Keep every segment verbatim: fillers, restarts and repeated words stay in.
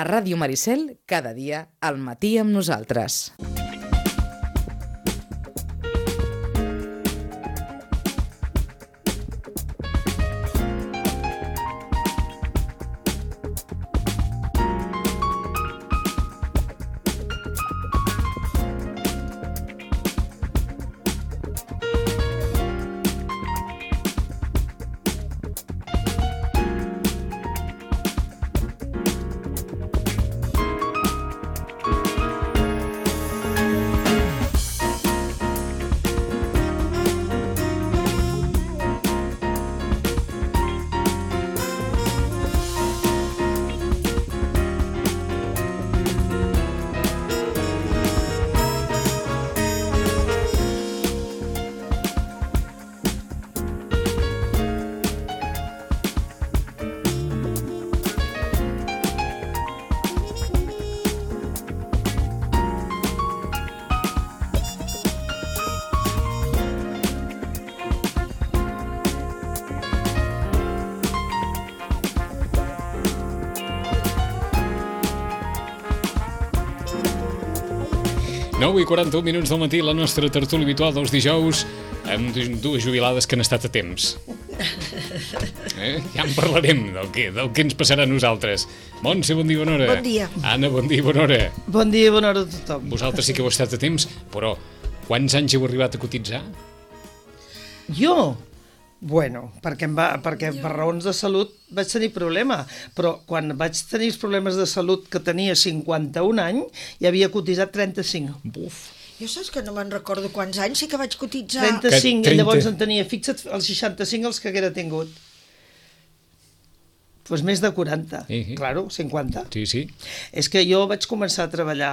A Ràdio Maricel, cada dia, al matí amb nosaltres. nou i quaranta-un minuts del matí, la nostra tertúlia habitual dels dijous, amb dues jubilades que han estat a temps. Eh? Ja en parlarem del que, del que ens passarà a nosaltres. Montse, bon dia, bona hora. Bon dia. Anna, bon dia, bona hora. Bon dia, bona hora a tothom. Vosaltres sí que heu estat a temps, però quants anys heu arribat a cotitzar? Jo? Bueno, perquè, em va, perquè per raons de salut vaig tenir problema, però quan vaig tenir els problemes de salut que tenia cinquanta-un anys, ja havia cotitzat trenta-cinc. Buf. Jo saps que no me'n recordo quants anys, sí que vaig cotitzar. trenta-cinc, trenta. I llavors en tenia, fixa't, els seixanta-cinc els que haguera tingut. Doncs més de quaranta, Sí, sí. claro, cinquanta. Sí, sí. És que jo vaig començar a treballar,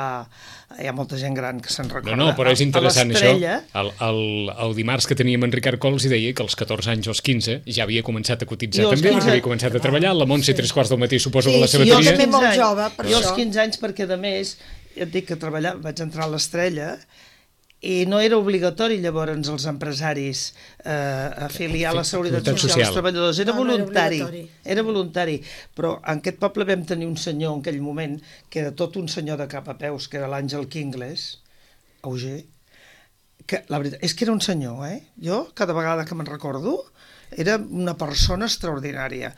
hi ha molta gent gran que se'n recorda, No, no, però és interessant a això. l'Estrella. El, el, el dimarts que teníem en Ricard Cols i deia que als catorze anys o als quinze ja havia començat a cotitzar Jo als també, quinze. perquè havia començat a treballar. La Montse, tres quarts del matí, suposo Sí, que la sí, jo sabateria. també molt quinze jove, anys. per jo als això. quinze anys, perquè a més, ja et dic que treballar, vaig entrar a l'Estrella i no era obligatori llavors els empresaris eh, afiliar a la Seguretat Seguretat Social Social. als treballadors, era No, no era voluntari, obligatori. era voluntari, però en aquest poble vam tenir un senyor en aquell moment, que era tot un senyor de cap a peus, que era l'Àngel Quingles, Auger, que la veritat és que era un senyor, eh? Jo, cada vegada que me'n recordo, era una persona extraordinària.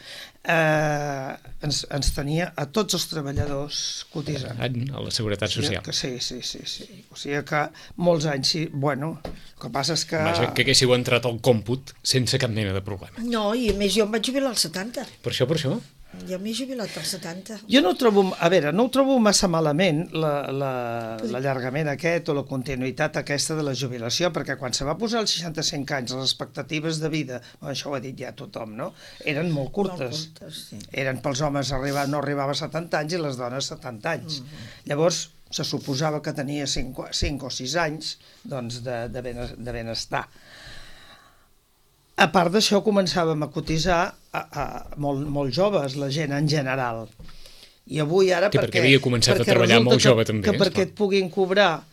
Eh, ens, ens tenia a tots els treballadors cotitzant. A la Seguretat Social. Que sí, sí, sí, sí. O sigui que molts anys, sí. Bueno, el que passa és que... Vaja, que haguéssiu entrat al còmput sense cap mena de problema. No, i a més jo em vaig jubilar als setanta. Per això, per això. Jo m'he jubilat als setanta. Jo no ho trobo, a veure, no ho trobo massa malament la- la- l'allargament aquest o la continuïtat aquesta de la jubilació, perquè quan se va posar als seixanta-cinc anys les expectatives de vida, bueno, això ho ha dit ja tothom, no? Eren molt curtes. Molt curtes, sí. Eren pels homes, arribar, no arribava a setanta anys i les dones setanta anys. Mm-hmm. Llavors, se suposava que tenia cinc o sis anys doncs, de, de, benes, de benestar. A part d'això, començàvem a cotitzar a, a molt, molt joves, la gent en general. I avui ara... Sí, perquè havia començat a treballar molt que, jove, també, Que esclar. perquè et puguin cobrar...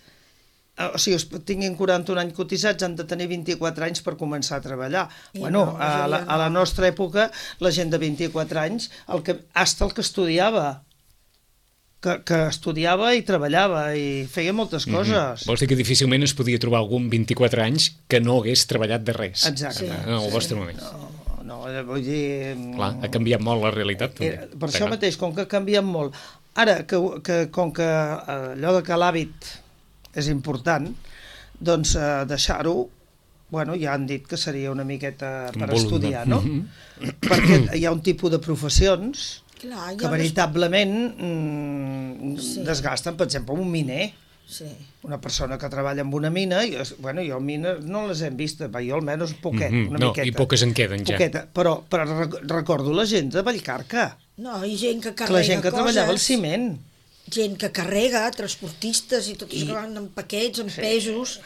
eh, O sigui, es tinguin quaranta-un anys cotitzats, han de tenir vint-i-quatre anys per començar a treballar. I Bueno, no, a la, a la no. nostra època, la gent de vint-i-quatre anys, el que, hasta el que estudiava, que, que estudiava i treballava i feia moltes coses. Vols dir que difícilment es podia trobar algun vint-i-quatre anys que no hagués treballat de res. Exacte. En el vostre moment. No, no, vull dir... Clar, ha canviat molt la realitat. També. Eh, per això mateix, com que ha canviat molt. Ara, que, que, com que eh, allò de que l'hàbit és important, doncs eh, deixar-ho, bueno, ja han dit que seria una miqueta per Volum, estudiar, no? no? Perquè hi ha un tipus de professions Clar, que jo veritablement mm, Sí. desgasten, per exemple, un miner. Sí. Una persona que treballa en una mina, i, bueno, jo mines no les hem vist, va, jo almenys poquet, Mhm, una no, miqueta. i poques en queden ja. Poqueta, però, però rec- recordo la gent de Vallcarca, No, i gent que que carrega la gent que coses, treballava al ciment. gent que carrega, transportistes i tots I- I... que van amb paquets, amb sí. pesos.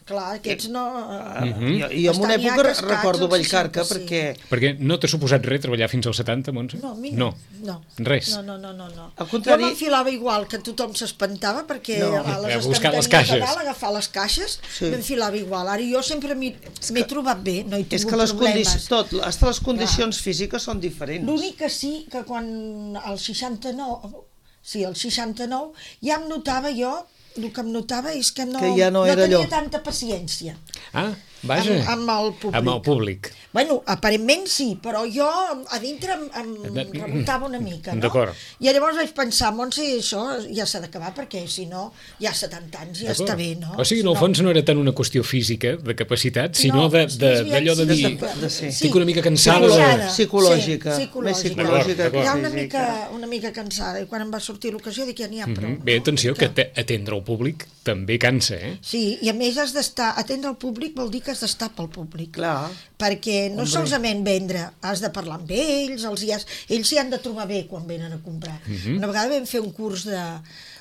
Clar, aquests no... Mm -hmm. Jo, jo en una Estan ja època cascats recordo als Vallcarca seixanta, sí. perquè... Perquè no t'ha suposat res treballar fins als setanta, Montse? No, a mi no. no. Res. No, no, no, no. no. Al contrari- Jo m'enfilava igual, que tothom s'espantava perquè No. a les A buscar les estanteries caixes. de dalt, agafar les caixes, Sí. m'enfilava igual. Ara jo sempre m'hi m'he trobat bé, no he tingut És que les problemes. condicions, tot, hasta les condicions físiques són diferents. L'únic que sí, que quan al seixanta-nou, sí, el seixanta-nou, ja em notava jo, el que em notava és que no, Que ja no no era tenia allò. tanta paciència. Ah, vaja. Amb, amb el públic. Amb el públic. Bueno, aparentment sí, però jo a dintre em, em rebotava una mica, no? D'acord. I llavors vaig pensar, Montse, això ja s'ha d'acabar, perquè si no, ja setanta anys ja està bé, no? O sigui, en el No. fons no era tant una qüestió física, de capacitat, sinó No, de- és de- més d'allò de, aviat dir... de- de- sí. Estic una mica cansada de... Cansada. Psicològica. Sí, Més psicològica. psicològica D'acord, que Ja una física. mica, una mica cansada, i quan em va sortir l'ocasió dic, ja n'hi ha prou. Mhm. Bé, atenció, que te- atendre el públic també cansa, eh? Sí, i a més has d'estar, atendre el públic vol dir que has d'estar pel públic. Clar. Perquè no Hombre. solament vendre, has de parlar amb ells, els hi has, ells s'hi han de trobar bé quan venen a comprar. Una vegada vam fer un curs de,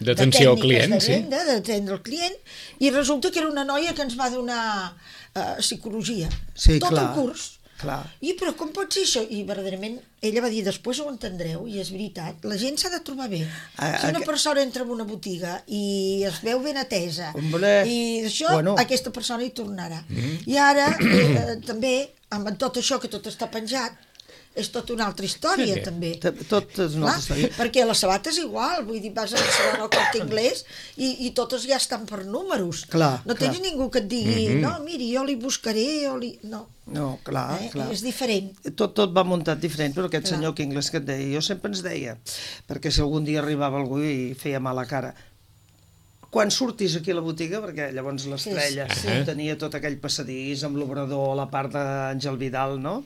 D'atenció al de tècniques client, de sí. venda, d'atendre el client, i resulta que era una noia que ens va donar uh, psicologia. Sí, Tot clar. el curs. Clar. I però com pot ser això? I verdaderament ella va dir, després ho entendreu, i és veritat, la gent s'ha de trobar bé. A- Si una a- persona entra en una botiga i es veu ben atesa, Hombre, i això, bueno. aquesta persona hi tornarà. I ara, eh, eh, també, amb tot això que tot està penjat, és tota una altra història, Sí. també. T- Tot és una altra Clar, història. perquè la sabata és igual, vull dir, vas a Barcelona al Corte Inglés i, i totes ja estan per números. Clar, no clar. tens ningú que et digui, no, miri, jo li buscaré, o li... No, No, clar, eh? clar. és diferent. Tot, tot va muntat diferent, però aquest Clar. senyor Kingles que et deia, jo sempre ens deia, perquè si algun dia arribava algú i feia mala cara, quan surtis aquí a la botiga, perquè llavors l'estrella Sí, sí, sí. tenia tot aquell passadís amb l'obrador, la part d'Àngel Vidal, no?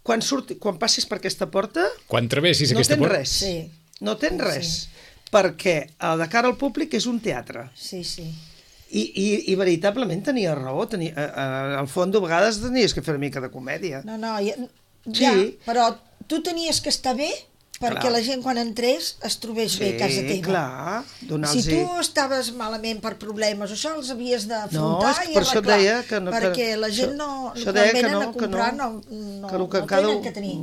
Quan, surti, quan passis per aquesta porta, Quan travessis no aquesta tens porta... res. Sí. No tens res. Perquè eh, de cara al públic és un teatre. Sí, sí. I, i, i veritablement tenia raó. Tenia, eh, eh, al fons, a vegades tenies que fer una mica de comèdia. No, no, ja, Sí. ja, però tu tenies que estar bé perquè Clar. la gent quan entrés es trobés bé a casa teva. clar, Si donar-los... tu estaves malament per problemes, això els havies No, d'afrontar és que i per això et arreglar, deia que no- que- perquè la gent això- no, això quan deia que venen no, a que comprar no, no, no, que el que no cada tenen un- que tenir.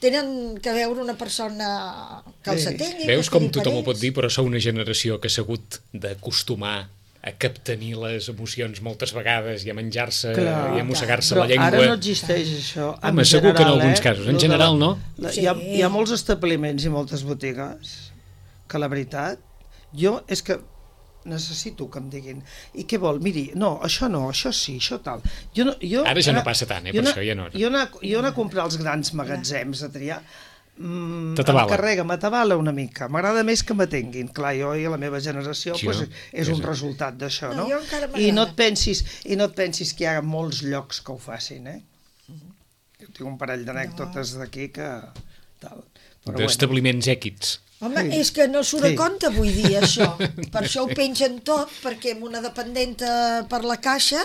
Tenen que veure una persona que els Sí. atengui, Veus que com estigui per tothom ho pot ells. dir, però sou una generació que s'ha hagut d'acostumar a captenir les emocions moltes vegades i a menjar-se Clar, i a mossegar-se però la llengua. ara no existeix això. Home, en segur que en general, alguns eh? casos. En Lo de general, no? La, Sí. hi, ha, hi ha molts establiments i moltes botigues que la veritat, jo és que necessito que em diguin i què vol? Miri, no, això no, això sí, això tal. Jo no, jo, Ara ja no passa tant, eh, jo per això ja no. Jo anar, jo anar a comprar als grans magatzems a triar mm, T'atabala. em carrega, m'atabala una mica. M'agrada més que m'atenguin. Clar, jo i la meva generació Sí, pues, no? és És- un resultat d'això, No, no? jo encara I no m'agrada. et pensis, i no et pensis que hi ha molts llocs que ho facin, eh? Jo tinc un parell d'anècdotes d'aquí que... Tal. Però bueno. D'establiments èquits. Home, Sí. és que no surt Sí. a compte avui dia, això. Per això ho pengen tot, perquè amb una dependenta per la caixa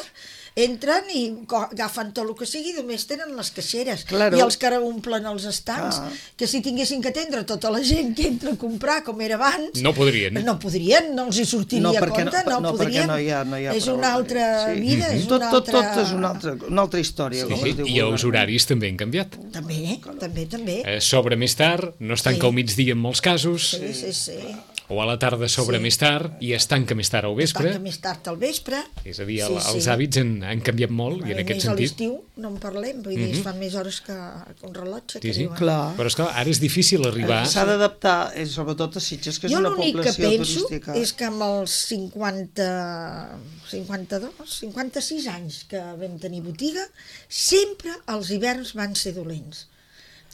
entren i co- agafen tot el que sigui, només tenen les caixeres. Claro. I els que ara omplen els estants, Ah. que si tinguessin que atendre tota la gent que entra a comprar, com era abans... No podrien. No podrien, no els hi sortiria No, a perquè compte, no, no, podrien. perquè no hi ha, no hi ha és prou. una altra Sí. vida, és tot, una tot, altra... tot és una altra, una altra història. Sí, com sí, es diu I els vulgarment. horaris també han canviat. També, també, també. Eh, S'obre més tard, no es tanca Sí. al migdia en molts casos, Sí, sí, sí. o a la tarda s'obre Sí. més tard i es tanca més tard al vespre. Tanca més tard al vespre. És a dir, Sí, el, els sí. hàbits han, han canviat molt i en A aquest més, a sentit... l'estiu no en parlem, vull dir, es fan més hores que que un rellotge, que Sí, sí. diuen. Clar. Però esclar, ara és difícil arribar... S'ha d'adaptar, eh, sobretot a Sitges, que és Jo una l'únic que població penso turística. és que amb els cinquanta, cinquanta-dos, cinquanta-sis anys que vam tenir botiga, sempre els hiverns van ser dolents.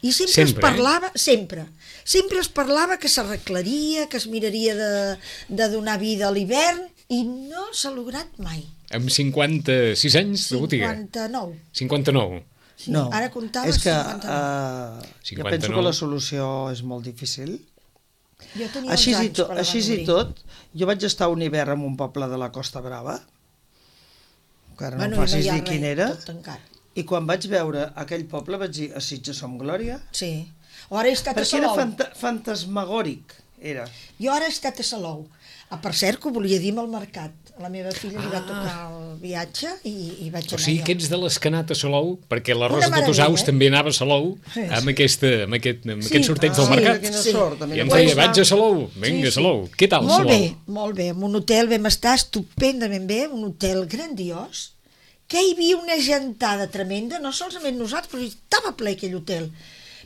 I sempre, Sempre, es parlava, sempre, sempre es parlava que s'arreglaria, que es miraria de, de donar vida a l'hivern, i no s'ha lograt mai. Amb cinquanta-sis anys de botiga. cinquanta-nou. cinquanta-nou. Sí, No, ara comptava és que cinquanta-nou. uh, jo cinquanta-nou. penso que la solució és molt difícil. Jo tenia Així, onze i, anys to, quan la així van i obrir. tot, jo vaig estar un hivern en un poble de la Costa Brava, que ara Bueno, no i em facis hi ha dir res, quin era, tot tancat. i quan vaig veure aquell poble vaig dir, a Sitges som glòria, Sí. O ara he estat a perquè era Salou. fanta fantasmagòric, era. Jo ara he estat a Salou. Ah, per cert, que ho volia dir amb el mercat. A la meva filla li va tocar el viatge i, i vaig O anar sigui jo. que ets de les que ha anat a Salou, perquè la Una Rosa meravella, Totosaus eh? també anava a Salou Sí, amb, sí. aquesta, amb aquest, amb Sí. aquest sorteig del Ah, mercat. Quina Sí. sort. I em deia, vaig a Salou, vinga, Sí, sí. Salou. Què tal, Molt Salou? bé, molt bé. En un hotel vam estar estupendament bé, un hotel grandiós, que hi havia una gentada tremenda, no solament nosaltres, però estava ple aquell hotel.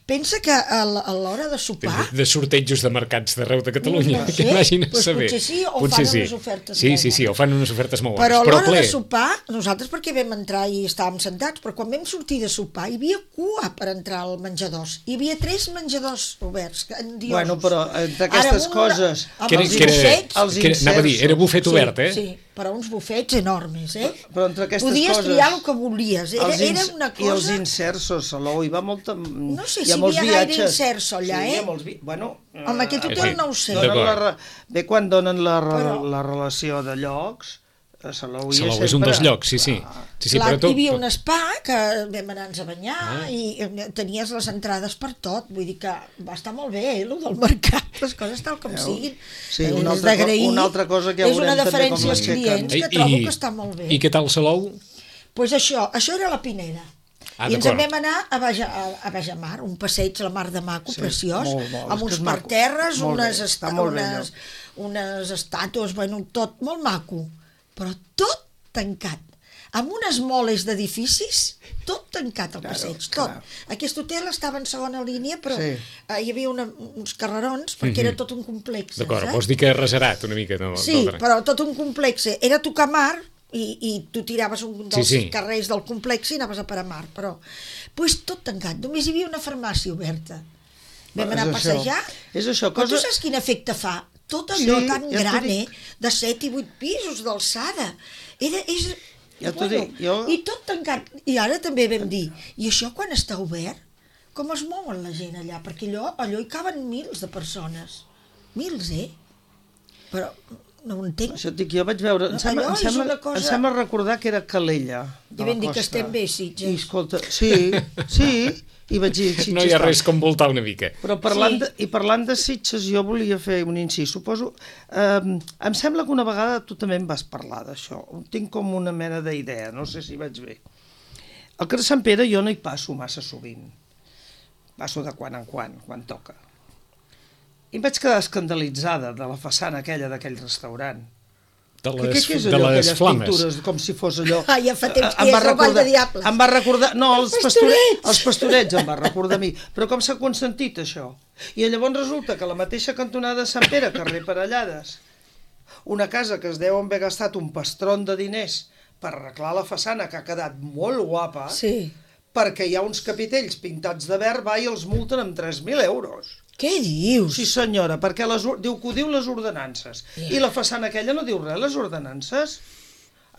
Pensa que a l- a l'hora de sopar... De sortejos de mercats d'arreu de Catalunya, No sé, que vagin a doncs saber. potser sí, o Potser fan unes ofertes Sí, molt sí, sí, o bones. fan unes ofertes molt bones. Però a Però l'hora ple. de sopar, nosaltres perquè vam entrar i estàvem sentats, però quan vam sortir de sopar hi havia cua per entrar al menjadors. Hi havia tres menjadors oberts, endiosos. Bueno, però entre aquestes Ara, amb coses... Amb Que era, els que era, bufets... els que era, anava a dir, era bufet Sí, obert, eh? Sí, però uns bufets enormes, eh? Però entre aquestes Podies coses... triar el que volies. Era, els era ins- una I els cosa... inserts al saló, hi va molta... No sé hi si ha molts hi havia gaire viatges. inserts allà, sí, eh? Hi ha molts vi... Bueno... Amb aquest eh, hotel sí. no ho sé. donen D'acord. la, re- bé, quan donen la, re- Però- la relació de llocs, a Salou hi Salou sempre... és un dels llocs, sí, sí. sí, sí Clar, però tu- hi havia un spa que vam anar-nos a banyar Ah. i eh, tenies les entrades per tot, vull dir que va estar molt bé, eh, el del mercat, les coses tal com Veus? siguin. Sí, Eh, una és altra co- d'agrair. una altra cosa que ja és una veurem també com deferència als l'aixequen. clients que I- trobo i- que està molt bé. I què tal Salou? Pues això, això era la Pineda. Ah, I ens d'acord. en vam anar a, Baja, a, a Bajamar, un passeig a la mar de maco, Sí, preciós, molt, molt, és amb que uns és maco. parterres, Molt bé, unes, està esta, molt bé, unes, unes estàtues, bueno, tot molt maco, però tot tancat, amb unes moles d'edificis, tot tancat al Claro, passeig, tot. clar. Aquest hotel estava en segona línia, però Sí. eh, hi havia una, uns carrerons, perquè era tot un complex. D'acord, saps? vols dir que reserat una mica? No, Sí, del- però tot un complex. Era tocar mar i, i tu tiraves un dels Sí, sí. carrers del complex i anaves a parar mar, però pues, tot tancat. Només hi havia una farmàcia oberta. Vam És anar a això. passejar. És això, Però tu cosa- saps quin efecte fa? Tot allò Sí, tan ja t'ho gran, dic. eh? De set i vuit pisos d'alçada. Era, és... Ja t'ho dic, jo- I tot tancat. I ara també vam dir, i això quan està obert, com es mouen la gent allà? Perquè allò, allò hi caben mils de persones. Mils, eh? Però no ho entenc. Això et dic, jo vaig veure... Em No, sembla, allò em és sembla, una cosa- em sembla recordar que era Calella. de I la vam dir que costa. estem bé, Sitges. I escolta, sí, sí, i vaig dir... Sitges No hi ha tal. res com voltar una mica. Però parlant, Sí. de, i parlant de Sitges, jo volia fer un incís. Suposo... Eh, em sembla que una vegada tu també em vas parlar d'això. Tinc com una mena d'idea, no sé si vaig bé. Al carrer Sant Pere jo no hi passo massa sovint. Passo de quan en quan, quan toca. I em vaig quedar escandalitzada de la façana aquella d'aquell restaurant. De Que, les, què és de allò, les aquelles flames. pintures, com si fos allò... Ah, ja fa temps Eh, que em va és el Ball de recordar- Diables. Em va recordar... No, els, Els pastorets. pastorets. Els pastorets em va recordar a mi. Però com s'ha consentit, això? I llavors resulta que la mateixa cantonada de Sant Pere, carrer Parellades, una casa que es deu haver gastat un pastron de diners per arreglar la façana, que ha quedat molt guapa, Sí. perquè hi ha uns capitells pintats de verd, va, i els multen amb tres mil euros. Què dius? Sí, senyora, perquè les, or- diu que ho diu les ordenances. I la façana aquella no diu res, les ordenances.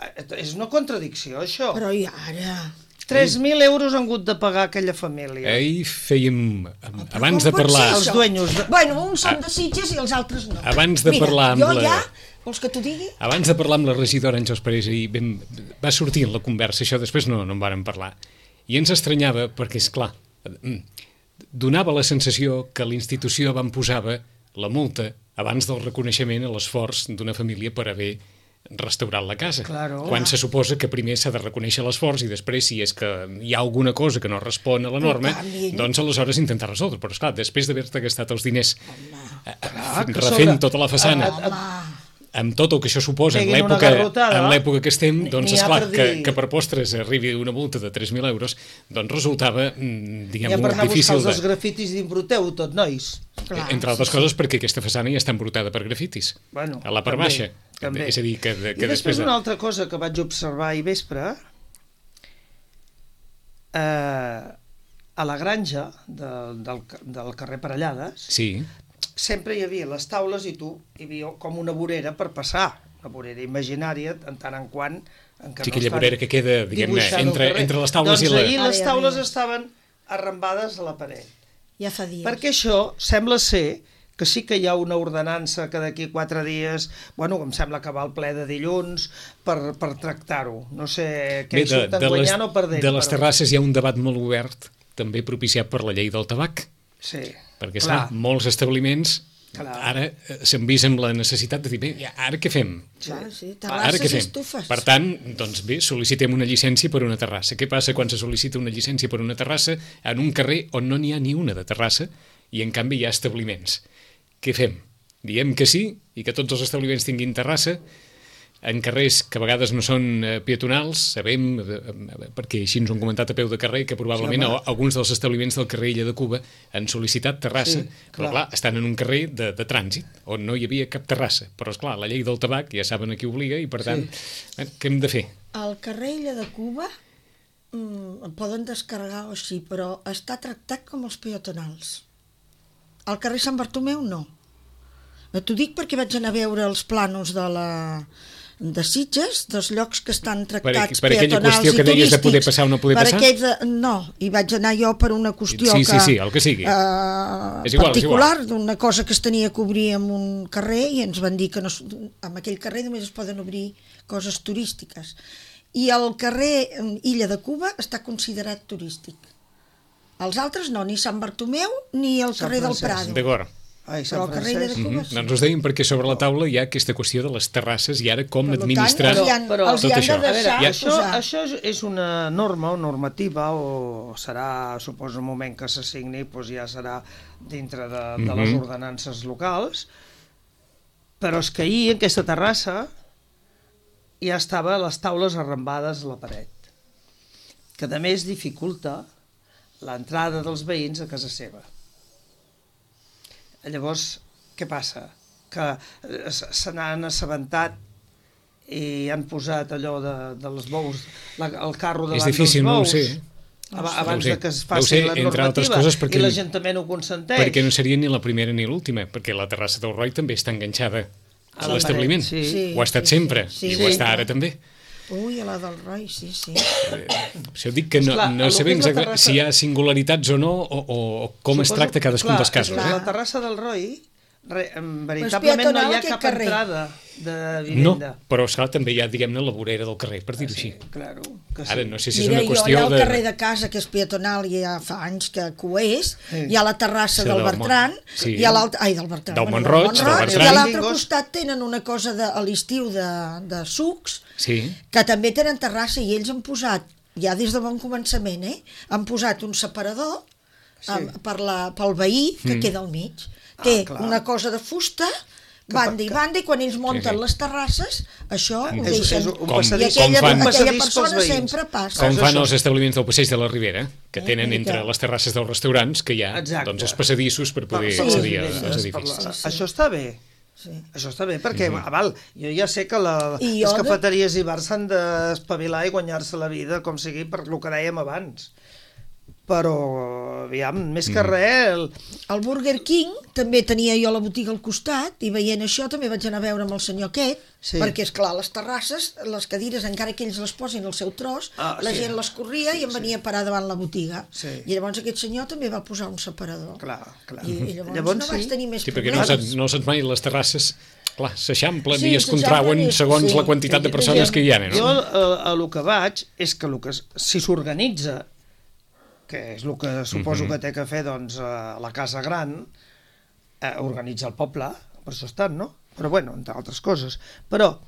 Eh, És una contradicció, això. Però i ara? tres mil euros han hagut de pagar aquella família. Ahir fèiem, abans Com de pot parlar... ser Els això? dueños de- Bueno, uns són de Sitges i els altres no. Abans de Mira, parlar amb jo la- ja... Vols que t'ho digui? Abans de parlar amb la regidora Àngels Parés, ahir vam, va sortir en la conversa, això després no, no en vàrem parlar, i ens estranyava perquè, és clar, donava la sensació que la institució van posava la multa abans del reconeixement a l'esforç d'una família per haver restaurat la casa. Claro. Quan se suposa que primer s'ha de reconèixer l'esforç i després, si és que hi ha alguna cosa que no respon a la norma, canvi. doncs aleshores intentar resoldre. Però, esclar, després d'haver-te gastat els diners eh, Clar, que refent sobre- tota la façana, Home, amb tot el que això suposa en Peguin una l'època garrotada. en l'època que estem, doncs N'hi ha esclar, per que, dir. que per postres arribi una multa de tres mil euros, doncs resultava, mm, diguem, Ja per molt anar a buscar difícil els de... dels grafitis d'imbruteu tot, nois. clar, Entre altres coses perquè aquesta façana ja està embrutada per grafitis, Bueno, a la part també, baixa. també. És a dir, que, de, I que després després... De... una altra cosa que vaig observar ahir vespre, eh, a la granja de, del, del carrer Parellades, Sí, sempre hi havia les taules i tu hi havia com una vorera per passar, una vorera imaginària, en tant en quant... En què sí, no aquella estan vorera que queda, diguem-ne, dibuixant al entre, carrer. entre les taules doncs i la... ahir les Ai, taules ai. estaven arrambades a la paret. ja fa dies. Perquè això sembla ser que sí que hi ha una ordenança que d'aquí quatre dies, bueno, em sembla que va al ple de dilluns per, per tractar-ho. No sé què hi surten les, guanyant o perdent. de les però- terrasses hi ha un debat molt obert, també propiciat per la llei del tabac, Sí, perquè clar. clar, molts establiments Clar. ara eh, s'han vist amb la necessitat de dir, bé, ja, ara què fem? Clar, sí, Ara què terrasses i fem? estufes. Per tant, doncs bé, sol·licitem una llicència per una terrassa. Què passa quan se sol·licita una llicència per una terrassa en un carrer on no n'hi ha ni una de terrassa i en canvi hi ha establiments? Què fem? Diem que sí i que tots els establiments tinguin terrassa? en carrers que a vegades no són eh, peatonals, sabem, eh, perquè així ens ho han comentat a peu de carrer, que probablement Sí, sí, alguns dels establiments del carrer Illa de Cuba han sol·licitat terrassa, Sí, però clar. clar, estan en un carrer de, de trànsit, on no hi havia cap terrassa. Però, esclar, la llei del tabac ja saben a qui obliga i, per tant, sí. eh, què hem de fer? El carrer Illa de Cuba mm, el poden descarregar o sí, però està tractat com els peatonals. Al carrer Sant Bartomeu no. T'ho dic perquè vaig anar a veure els plànols de la de Sitges, dels llocs que estan tractats per aquella peatonals qüestió i que deies de poder turístics. passar o no poder per passar? aquells de, no, i vaig anar jo per una qüestió Sí, que, sí, sí, el que sigui. eh, És igual, és particular, igual. d'una cosa que es tenia que obrir en un carrer i ens van dir que no, es- en aquell carrer només es poden obrir coses turístiques. I el carrer Illa de Cuba està considerat turístic. Els altres no, ni Sant Bartomeu ni el Sant carrer del Francesc. Prado. D'acord. Ai, Però Sant el carrer Illa de Francesc. Cuba Mm sí. Doncs us deim perquè sobre la taula hi ha aquesta qüestió de les terrasses i ara com Per tant, administrar els hi han, Però- els hi tot han això. de A veure, deixar això, posar. això és- és una norma o normativa o serà, suposo, el moment que se signi, doncs ja serà dintre de, de les Mhm. ordenances locals, però és que ahir en aquesta terrassa ja estava les taules arrambades a la paret, que a més dificulta l'entrada dels veïns a casa seva. Llavors, què passa? Que eh, s- se n'han assabentat i han posat allò de, de les bous, la, el carro davant És difícil, dels no ho bous, sé. aba- abans Deu ser. de que es Deu faci ser, la entre altres normativa, coses, perquè- i l'Ajuntament ho consenteix. perquè no seria ni la primera ni l'última, perquè la terrassa del Roi també està enganxada A a la l'establiment. paret, sí. Sí. Ho ha estat sí, sempre, sí, i sí. ho està ara també. Ui, a la del Roi, sí, sí. Això dic que no, Esclar, no el que sabem és la exactament terrassa- si hi ha singularitats o no, o, o com es Suposo- tracta cadascun clar, dels casos. és que Eh? La terrassa del Roi, re, em, veritablement no peatonal hi ha aquest cap carrer. entrada de No, vivenda. però esclar, també hi ha, diguem-ne, la vorera del carrer, per dir-ho així. Claro, que sí. Ara, no sé si és Mira, una jo qüestió allà al de... carrer de casa, que és peatonal, i ja fa anys que, que ho és, Sí. hi ha la terrassa Sí, del del Bertran, Mon- sí. i a l'altre... Ai, del Bertran. Del bueno, Montroig, del Montroig, Bertran. I a l'altre Bingos. costat tenen una cosa de, a l'estiu de, de sucs, Sí, que també tenen terrassa, i ells han posat, ja des de bon començament, eh, han posat un separador Sí. amb, per la, pel veí que Mm. queda al mig. Té clar. una cosa de fusta, banda i banda, i quan ells munten Sí, sí. les terrasses, això ho És- deixen... és un Com- I passadís, aquella, com fan- un passadís aquella pels persona veïns. sempre passa. com Cas fan això. els establiments del Passeig de la Ribera, que Eh, tenen una mica. entre les terrasses dels restaurants que hi ha Exacte. doncs, els passadissos per poder Per- per accedir les als vivendes, edificis. per la- Sí, sí. Això està bé. Sí. Això està bé, perquè, mm -hmm. val, jo ja sé que la, I les jo de- cafeteries i bars s'han d'espavilar i guanyar-se la vida, com sigui, per el que dèiem abans. Però, aviam, més que res... El... El Burger King també tenia jo la botiga al costat, i veient això també vaig anar a veure amb el senyor aquest, Sí. perquè, és clar, les terrasses, les cadires, encara que ells les posin al seu tros, Ah, la sí. gent les corria i em venia a parar davant la botiga. Sí. I llavors aquest senyor també va posar un separador. Clar, clar. I, i llavors, Llavors no vaig sí. tenir més Sí, perquè no problemes. saps, no saps mai les terrasses, clar, s'eixamplen Sí, i es s'eixamplen contrauen i- segons sí. la quantitat de persones que hi ha, Jo no? a, a lo que vaig és que, lo que s- si s'organitza, que és el que suposo Mhm. que té que fer doncs, a la Casa Gran, eh, organitza el poble, per això estan, no? Però bueno, entre altres coses. Però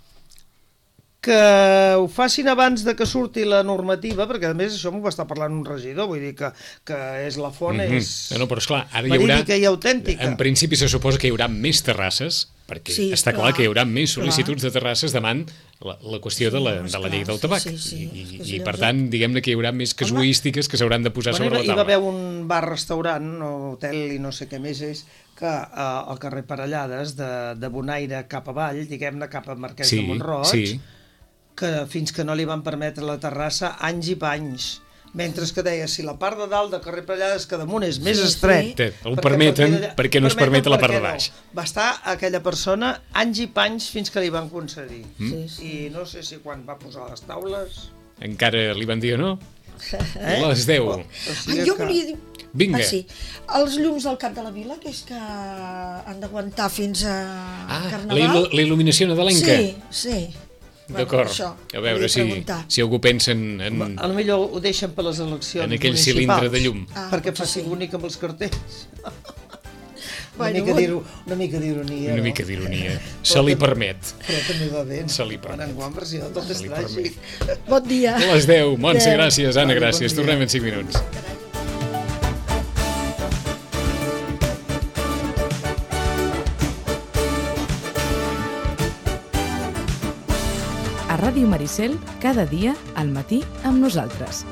que ho facin abans de que surti la normativa, perquè a més això m'ho va estar parlant un regidor, vull dir que, que és la font, Mhm. és No, no, però esclar, ara hi haurà... verídica i autèntica. En principi se suposa que hi haurà més terrasses, perquè Sí, està clar, clar, que hi haurà més clar. sol·licituds de terrasses davant la, la qüestió de, la, Sí, de la esclar, llei del sí, tabac. sí, sí, I, és que i, si i per llavors- tant, diguem-ne que hi haurà més casuístiques que s'hauran de posar Bueno, sobre hi la va haver taula. un bar-restaurant o hotel i no sé què més és que eh, al carrer Parellades de, de Bonaire cap avall, diguem-ne cap a Marquès Sí, de Montroig, sí. que fins que no li van permetre la terrassa anys i panys, mentre que deia si la part de dalt de carrer Parellades que damunt és més Sí, sí. estret, Té, ho perquè permeten, a partir d'allà- per què no es permeten, permet la part per de què baix? No. Va estar aquella persona anys i panys fins que li van concedir. Sí, sí. I no sé si quan va posar les taules... Encara li van dir o no? Eh? Les deu. O Ah, sigui jo que- volia dir... Vinga. Ah, sí. Els llums del Cap de la Vila, que és que han d'aguantar fins a Ah, la, Carnaval. il·lu- la il·luminació nadalenca. Sí, sí. D'acord. Bueno, això, A veure volia si, preguntar. si algú pensa en, en, A lo millor ho deixen per les eleccions en aquell municipals. cilindre de llum. Ah, perquè potser faci sí. bonic amb els cartells. una, Bueno, mica bueno. d'iro- una mica d'ironia, Una no? mica d'ironia. Se li permet. Però també va bé. Se li Quan permet. enguany, per si no, tot és Se li tràgic. Bon dia. A les deu. Montse, Adéu. gràcies. Anna, Vale, bon gràcies. dia. Tornem en cinc minuts. A Ràdio Maricel, cada dia al matí amb nosaltres.